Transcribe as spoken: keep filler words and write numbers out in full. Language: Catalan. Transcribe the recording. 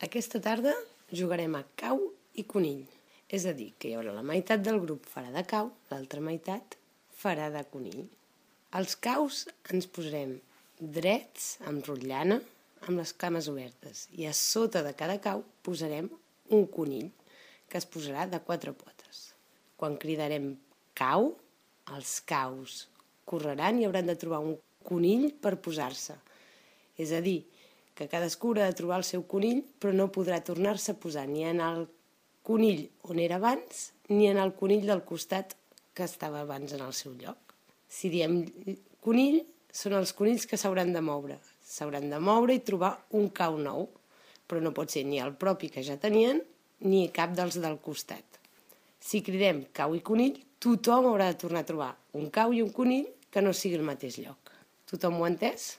Aquesta tarda jugarem a cau i conill, és a dir, que hi haurà la meitat del grup farà de cau, l'altra meitat farà de conill. Als caus ens posarem drets, amb rotllana, amb les cames obertes, i a sota de cada cau posarem un conill, que es posarà de quatre potes. Quan cridarem cau, els caus correran i hauran de trobar un conill per posar-se. És a dir, que cadascú haurà de trobar el seu conill, però no podrà tornar-se a posar ni en el conill on era abans, ni en el conill del costat que estava abans en el seu lloc. Si diem conill, són els conills que s'hauran de moure. S'hauran de moure i trobar un cau nou, però no pot ser ni el propi que ja tenien, ni cap dels del costat. Si cridem cau i conill, tothom haurà de tornar a trobar un cau i un conill que no sigui el mateix lloc. Tothom ho ha entès?